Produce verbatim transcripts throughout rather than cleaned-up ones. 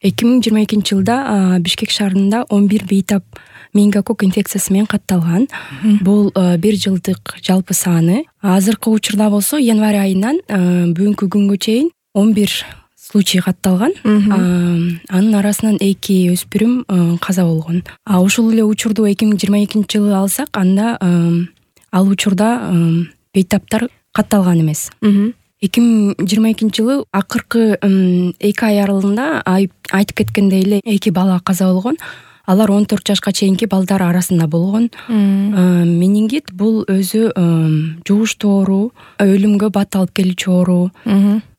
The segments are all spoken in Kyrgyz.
эки миң жыйырма экинчи жылда Бишкек шаарында он бир бейтап менингококк инфекциясы менен катталган. Бул бир жылдык жалпы саны. Азыркы учурда болсо январь айынан бүгүнкү күнгө чейин он бир случай катталган. Анын арасынан эки өспүрүм каза болгон. А ушул эле учурду эки миң жыйырма экинчи жылы алсак, анда ал учурда бейтаптар катталган эмес. эки миң жыйырма экинчи жылы акыркы эки ай аралыгында айтып кеткендей эле эки бала каза болгон. Алар он төрт жашка чейинки балдар арасында болгон. Менингит бул өзү жугуштуу оору, өлүмгө бат алып келүүчү оору.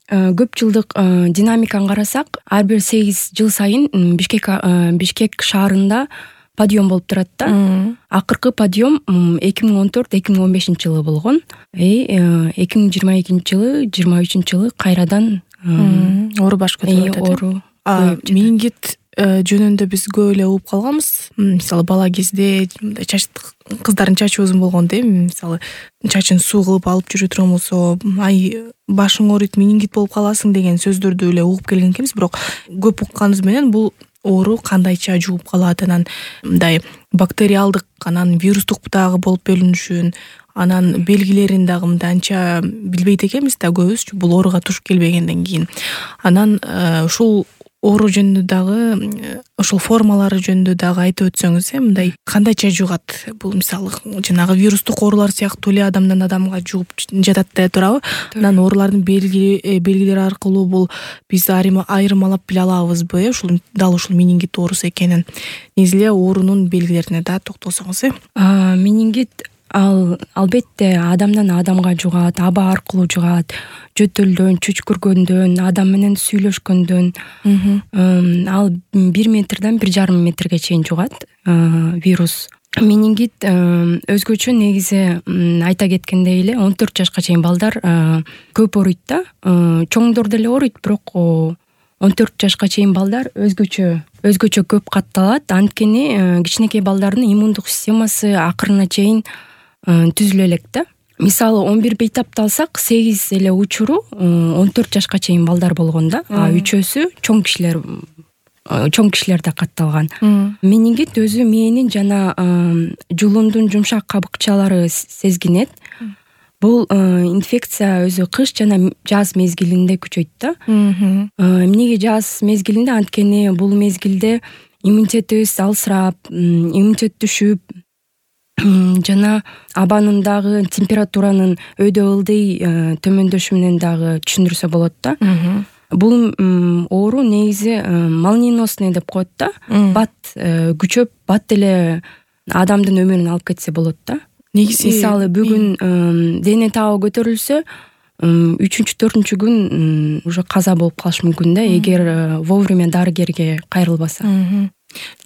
Көп жылдык динамиканы карасак, ар бир сегиз жыл сайын Бишкек Бишкек шаарында подъем болуп турат да. Акыркы подъем эки миң он төрт эки миң он бешинчи жылы болгон. эки миң жыйырма экинчи жылы жыйырма үчүнчү жылы кайрадан оору баш көтөрүп атат. Оору. Менингит жөнүндө биз көп эле угуп калганбыз. Мисалы бала кезде чач кыздардын чачы узун болгондо, мисалы чачын суу кылып алып жүрө турган болсо, ай башың ооруйт, менингит болуп каласың деген сөздөрдү эле угуп келген экенбиз. Бирок көп укканыбыз менен бул оору кандайча жугуп калат, анан мындай бактериалдык, анан вирустук дагы болуп бөлүнүшүн, анан белгилерин дагы мындай анча билбейт экенбиз да көбүз, бул ооруга туш келбегенден кийин. Анан ушул оору жөнүндө дагы, ошол формалары жөнүндө дагы айтып өтсөңүз, э, мындай кандайча жугат? Бул мисалы жанагы вирустук оорулар сыяктуу эле адамдан адамга жугуп жатат деп турабы? Анан оорулардын белги белгилери аркылуу бул биз айырмалап биле алабызбы, э, ушул дал ушул менингит оорусу экенин? Негизи эле оорунун белгилерине да токтолсоңуз, э? Менингит ал албетте адамдан адамга жугат, аба аркылуу жугат, жөтөлдөн, чүчкүргөндөн, адам менен сүйлөшкөндөн. Ал бир метрден бир жарым метрге чейин жугат вирус. Менингит өзгөчө негизи айта кеткендей эле он төрт жашка чейин балдар көп ооруйт да. Чоңдор деле ооруйт, бирок он төрт жашка чейин балдар өзгөчө өзгөчө көп катталат. Анткени кичинекей балдардын иммундук системасы акырына чейин түзүлө элек да. Мисалы он бир бейтапты алсак, сегиз эле учуру он төрт жашка чейин балдар болгон да. А үчөөсү чоң кишилер чоң кишилерде катталган. Менингит өзү мээнин жана жулундун жумшак кабыкчалары сезгинет. Бул инфекция өзү кыш жана жаз мезгилинде күчөйт да. Эмнеге жаз мезгилинде? Анткени бул мезгилде иммунитетибиз алсырап, иммунитет түшүп, жана абанын дагы температуранын өйдө ылдый төмөндөшү менен дагы түшүндүрсө болот да. Бул оору негизи молниеносный деп коет да. Бат күчөп, бат деле адамдын өмүрүн алып кетсе болот да. Негизи мисалы бүгүн дене табы көтөрүлсө, үчүнчү төртүнчү күн уже каза болуп калышы мүмкүн да, эгер вовремя дарыгерге кайрылбаса.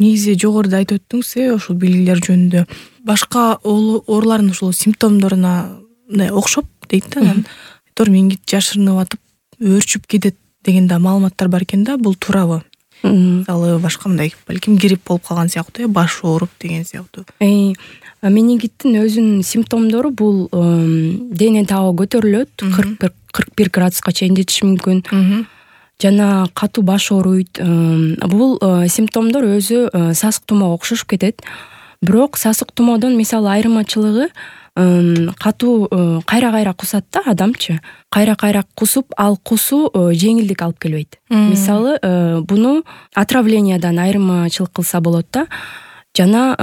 Негизи жогоруда айтып өттүңүз, ошол белгилер жөнүндө. Башка оорулардын ушул симптомдоруна мындай окшоп дейт да, анан тор менингит жашырынып атып, өөрчүп кетет деген да маалыматтар бар экен да, бул туурабы? Мисалы башка мындай балким грипп болуп калган сыяктуу, баш ооруп деген сыяктуу. Менингиттин өзүнүн симптомдору бул дене табы көтөрүлөт, кырк бир градуска чейин жетиши мүмкүн. Жана катуу баш ооруйт. Бул симптомдор өзү сасык тумоого окшошуп кетет. Бирок сасык тумоодон мисалы айырмачылыгы катуу кайра-кайра кусат да адамчы. Кайра-кайра кусуп, ал кусуу жеңилдик алып келбейт. Мисалы буну отравлениядан айырмачылык кылса болот да. Жана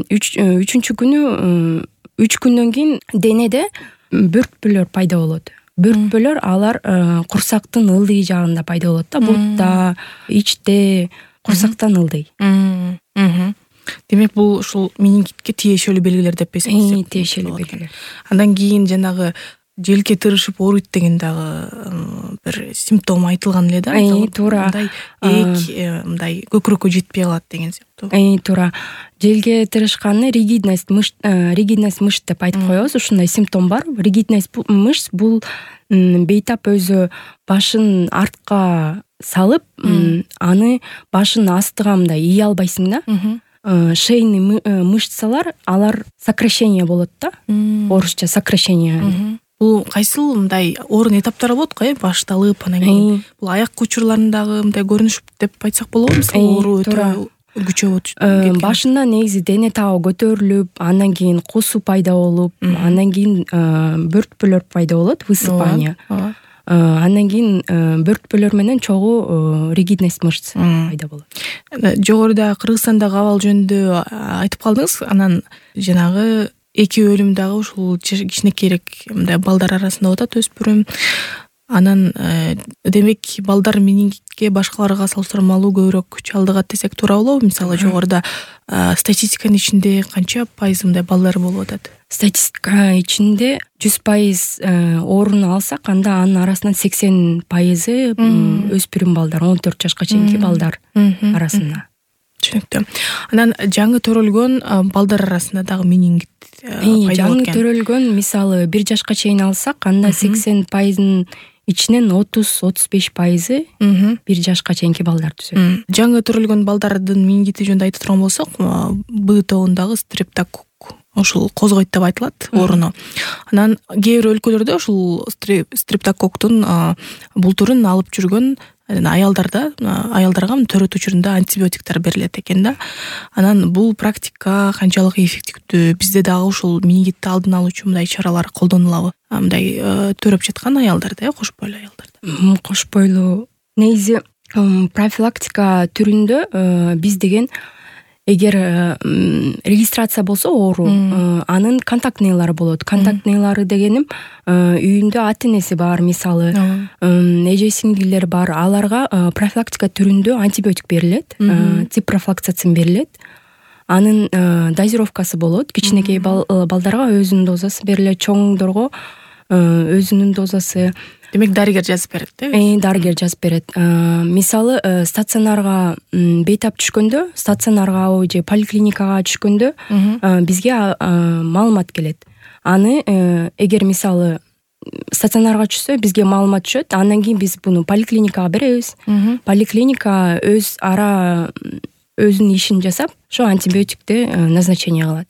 үчүнчү күнү үч күндөн кийин денеде бөртпөлөр пайда болот. Бөртпөлөр алар курсактын ылдый жагында пайда болот да, бутта, ичте, курсактан ылдый. Демек бул ушул менингитке тиешелүү белгилер деп эсептесек. Тиешелүү белгилер. Андан кийин жанагы желке тырышып ооруйт деген дагы бир симптом айтылган эле да. Туура. Мындай эк мындай көкүрөккө жетпей калат деген сыяктуу. Туура. Желге тырышканы ригидность мышц, ригидность мышц деп айтып коебуз. Ушундай симптом бар. Ригидность мышц бул бейтап өзү башын артка салып, аны башын астыга мындай ий албайсың да. Шейный мышцалар, алар сокращение болот да. Орусча сокращение. бул кайсыл мындай орун этаптары болот го, э башталып анан кийин бул аяк учурларындагы мындай көрүнүш деп айтсак болобу, мисалы оору өтө күчөп башында негизи дене табы көтөрүлүп, андан кийин кусуу пайда болуп, андан кийин бөртпөлөр пайда болот, высыпание. Андан кийин бөртпөлөр менен чогуу ригидность мышц пайда болот. Жогоруда Кыргызстандагы абал жөнүндө айтып калдыңыз, анан жанагы эки өлүм дагы ушул кичинекейирээк мындай балдар арасында болуп атат, өспүрүм. Анан демек балдар менингитке башкаларга салыштырмалуу көбүрөөк чалдыгат десек туура болобу? Мисалы жогоруда статистиканын ичинде канча пайыз мындай балдар болуп атат? Статистика ичинде жүз пайыз орун алсак, анда анын арасынан сексен пайызы өспүрүм балдар, он төрт жашка чейинки балдар арасында. Түшүнүктүү. Анан жаңы төрөлгөн балдар арасында дагы менингит пайда жаңы төрөлгөн, мисалы бир жашка чейин алсак, анда сексен пайыздын ичинен отуз отуз беш пайызы бир жашка чейинки балдар түзөт. Жаңы төрөлгөн балдардын менингити жөнүндө айта турган болсок, Б тобундагы стрептококк ушул козгойт деп айтылат ооруну. Анан кээ бир өлкөлөрдө ушул стрептококктун бул түрүн алып жүргөн аялдарда аялдарга төрөт учурунда антибиотиктер берилет экен да. Анан бул практика канчалык эффективдүү? Бизде дагы ушул менингитти алдын алуучу мындай чаралар колдонулабы? Мындай төрөп жаткан аялдарда, э кош бойлуу аялдарда. Кош бойлуу негизи профилактика түрүндө биз деген эгер регистрация болсо оору, анын контактныйлары болот. Контактныйлары дегеним үйүндө ата энеси бар, мисалы эже сиңдилер бар, аларга профилактика түрүндө антибиотик берилет, ципрофлоксацин берилет. Анын дозировкасы болот. Кичинекей балдарга өзүнүн дозасы берилет, чоңдорго өзүнүн дозасы. Демек дарыгер жазып берет, э? Э, дарыгер жазып берет. Мисалы стационарга бейтап түшкөндө, стационарга же поликлиникага түшкөндө бизге маалымат келет. Аны эгер мисалы стационарга түшсө, бизге маалымат түшөт, андан кийин биз буну поликлиникага беребиз. Поликлиника өз ара өзүнүн ишин жасап, ошо антибиотикти назначение кылат.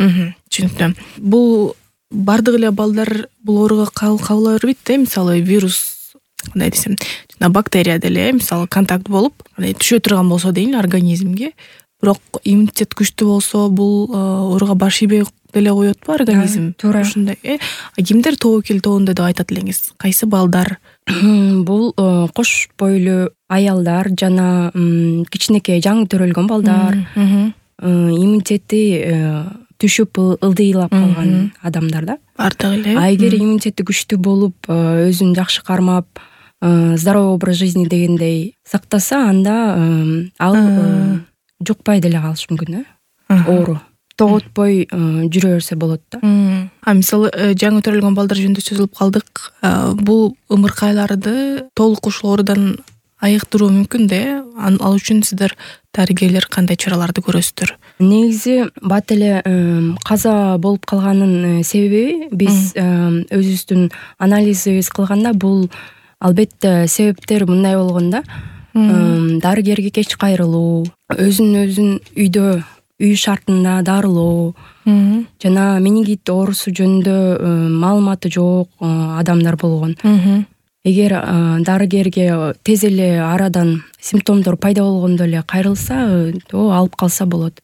Түшүнүктүү. Бул бардык эле балдар бул ооруга кабыла бербейт да, мисалы вирус, кандай десем, жана бактерия деле, мисалы контакт болуп, түшө турган болсо дейин организмге, бирок иммунитет күчтүү болсо, бул ооруга баш ийбей деле коетпу организм? Туура. Ушундай, э? Кимдер тобокел тобунда деп айтат элеңиз? Кайсы балдар? Бул кош бойлуу аялдар жана кичинекей жаңы төрөлгөн балдар, иммунитети түшүп ылдыйлап калган адамдар да. Бардык эле. А эгер иммунитети күчтүү болуп, өзүн жакшы кармап, здоровый образ жизни дегендей сактаса, анда ал жукпай деле калышы мүмкүн, э? Оору тоготпой жүрө берсе болот да. А мисалы жаңы төрөлгөн балдар жөнүндө сөз кылып калдык. Бул ымыркайларды толук ушул оорудан айыктыруу мүмкүн да, э? Ал үчүн сиздер дарыгерлер кандай чараларды көрөсүздөр? Негизи бат эле каза болуп калганын себеби биз өзүбүздүн анализибиз кылганда бул албетте себептер мындай болгон да. Дарыгерге кеч кайрылуу, өзүн өзүн үйдө үй шартында дарылоо жана менингит оорусу жөнүндө маалыматы жок адамдар болгон. Эгер дарыгерге тез эле арадан симптомдор пайда болгондо эле кайрылса, то алып калса болот.